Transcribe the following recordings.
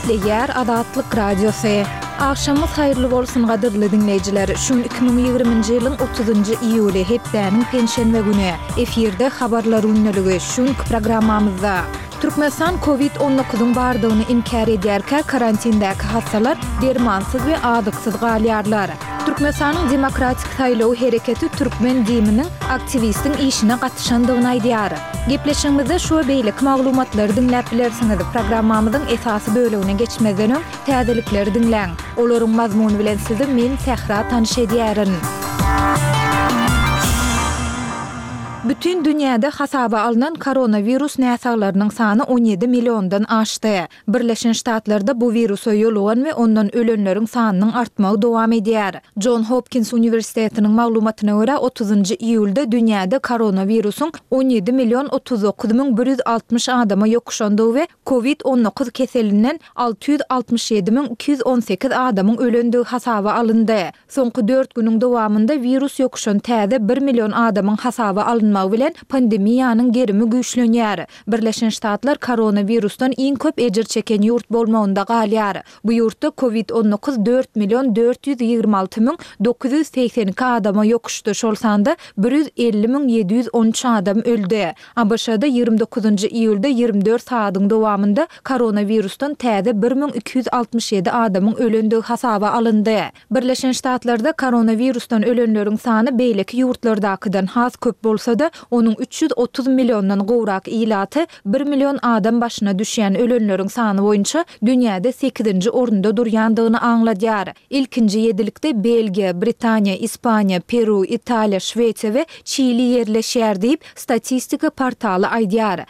Gepleýär Azatlyk Radiosy. Agşamyňyz haýyrly bolsun gadyrly diňleýjiler! Şu gün 2020-nji ýylyň otuzynjy iýuly, hepdäniň penşenbe güni. Efirde Habarlar gündeligi. Şu günki programmamyzda. Türkmenistan Covid 19-yň bardygyny inkär edýärkä, karantindäki hassalar dermansyz we azyksyz galýarlar. Türkmenistanyň Demokratik saýlawy hereketi türkmen DIM-niň aktiwistiň işine gatyşandygyny aýdýar. Gepleşigimizde şu we beýleki maglumatlary diňläp bilersiňiz. Programmamyzyň esasy bölegine geçmezden öň, täzelikleri diňläň. Olaryň mazmuny bilen sizi men, Sähra tanyş edýärin. Bütin dünýäde hasaba alnan koronawirus näsaglarynyň sany 17 milliondan aşdy. Birleşen Ştatlarda bu wirusa ýolugan we ondan ölenleriň sanynyň artmagy dowam edýär. Jon Hopkins uniwersitetiniň maglumatyna görä, otuzynjy iýulda dünýäde koronawirusyň 17 million 39 160 adama ýokuşandygy we Covid 19 keselinden 667 218 adamyň ölendigi hasaba alyndy. Soňky dört günüň dowamynda wirus ýokuşan täze bir million adamyň hasaba alynmagy bilen pandemiýanyň gerimi güýçlenýär. Birleşen Ştatlar koronawirusdan iň köp ejir çeken ýurt bolmagynda galýar. Bu ýurtda Covid 19 4 million 426 982 adama ýokuşdy, şol sanda 150 713 adam öldi. ABŞ-da 29-njy iýulda 24 sagadyň dowamynda koronawirusdan täze 1267 adamyň ölendigi hasaba alyndy. Birleşen Ştatlarda koronawirusdan ölenleriň sany beýleki ýurtlardakydan has köp bolsa-da, onuň 330 milliondan gowrak ilaty bir million adam başyna düşýän ölenleriň sany boýunça dünýäde sekizinji orunda durýandygyny aňladýar. Ilkinji ýedilikde Belgiýa, Britaniýa, Ispaniýa, Peru, Italiýa, Şwesiýa we Çili ýerleşýär diýip, statistika portaly aýdýar.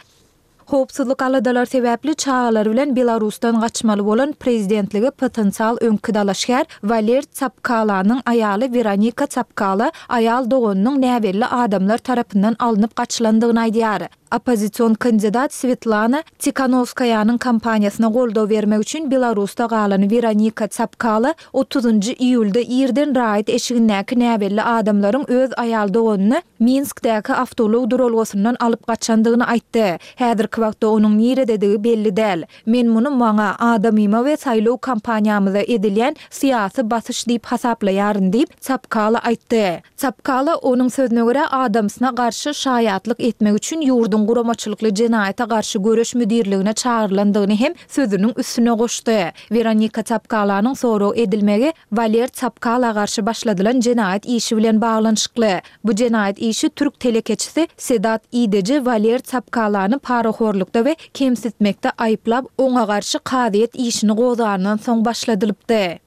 Howpsuzlyk aladalary sebäpli çagalary bilen Belarusdan gaçmaly bolan prezidentlige potensial öňki dalaşgär Waler Tsapkalanyň aýaly Weronika Tsapkala aýal doganynyň näbelli adamlar tarapyndan alnyp gaçylandygyny aýdýar. Oppozision kandidat Swetlana Tikhanowskaýanyň kampaniýasyna goldaw bermek üçin Belarusda galan Weronika Tsapkala otuzynjy iýulda irden raýat eşigindäki näbelli adamlaryň öz aýal doganyny Minskdäki awtoulag duralgasyndan alyp gaçandygyny aýtdy. Häzirki wagtda onuň nirededigi belli däl. Men muny maňa, adamyma we saýlaw kampaniýamyza edilýän syýasy basyş diýip hasaplaýaryn diýip, Tsapkala aýtdy. Tsapkala, onuň sözüne görä, adamsyna garşy şaýatlyk etmek üçin ýurduň guramaçylykly jenaýata garşy göreş müdirligine çagyrylandygyny hem sözüniň üstüne goşdy. Weronika Tsapkalanyň sorag edilmegi Waler Tsapkala garşy başladylan jenaýat işi bilen baglanyşykly. Bu jenaýat işi türk telekeçisi Sedat Ideji Waler Tsapkalany parahorlukda we kemsitmekde aýyplap, oňa garşy kazyýet işini gozgandan soň başladylypdy.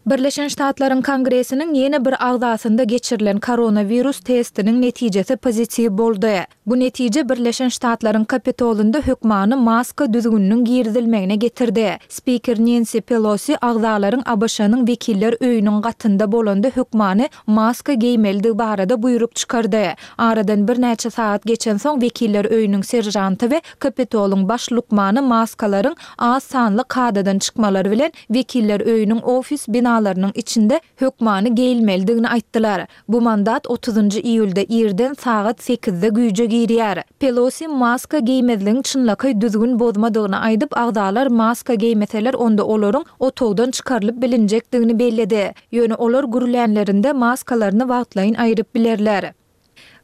Birleşen Ştatlaryň Kongresiniň ýene bir agzasynda geçirilen koronawirus testiniň netijesi pozitiw boldy. Bu netije Birleşen Ştatlaryň Kapitolynda hökmany maska düzgüniniň girizilmegine getirdi. Spiker Nensi Pelosi agzalaryň ABŞ-nyň Wekiller öýüniň gatynda bolanda hökmany maska geýmelidigi barada buýruk çykardy. Aradan birnäçe sagat geçensoň Wekiller öýüniň seržanty we Kapitolyň baş lukmany maskalaryň az sanly kadadan çykmalary bilen Wekiller öýüniň ofis binalarynyň içinde hökmany geýilmelidigini aýtdylar. Bu mandat otuzynjy iýulda irden sagat sekizde güýje girýär. Pelosi maska geýmezligiň çynlakaý düzgün bozmadygyny aýdyp, agzalar maska geýmeseler, onda olaryň otagdan çykarylyp bilinjekdigini belledi. Ýöne olar gürlänlerinde maskalaryny wagtlaýyn aýryp bilerler.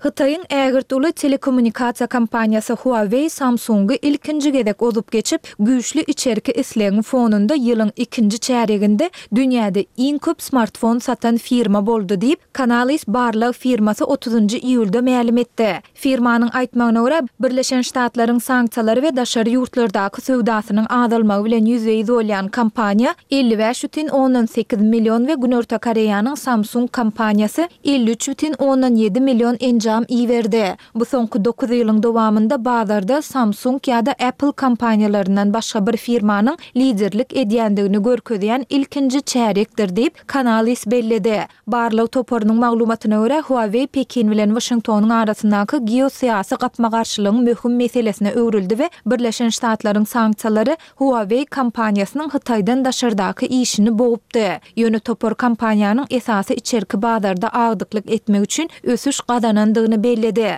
Hytaýyň ägirt uly telekommunikasiýa kompaniýasy Huawei Samsung-y ilkinji gezek ozup geçip, güýçli içerki islegiň fonunda ýylyň ikinji çärýeginde dünýäde iň köp smartfon satan firma boldy diýip, Canalys barlag firmasy otuzynjy iýulda mälim etdi. Firmanyň aýtmagyna görä, Birleşen Ştatlaryň sanksiýalary we daşary ýurtlardaky söwdasynyň azalmagy bilen ýüzbe-ýüz bolýan kompaniýa 55,8 million we Günorta Koreýanyň Samsung kompaniýasy 53,7 million enjam iberdi. Bu soňky dokuz ýylyň dowamynda bazarda Samsung ýa-da Apple kompaniýalaryndan başga bir firmanyň liderlik edýändigini görkezýän ilkinji çärýekdir diýip, Canalys belledi. Barlag toparynyň maglumatyna görä, Huawei Pekin bilen Waşingtonyň arasyndaky geosyýasy gapma-garşylygyň möhüm meselesine öwrüldi we Birleşen Ştatlaryň sanksiýalary Huawei kompaniýasynyň Hytaýdan daşardaky işini bogupdy. Ýöne topar kompaniýanyň esasy içerki bazarda agdyklyk etmek üçin ösüş gazanandygyny belledi.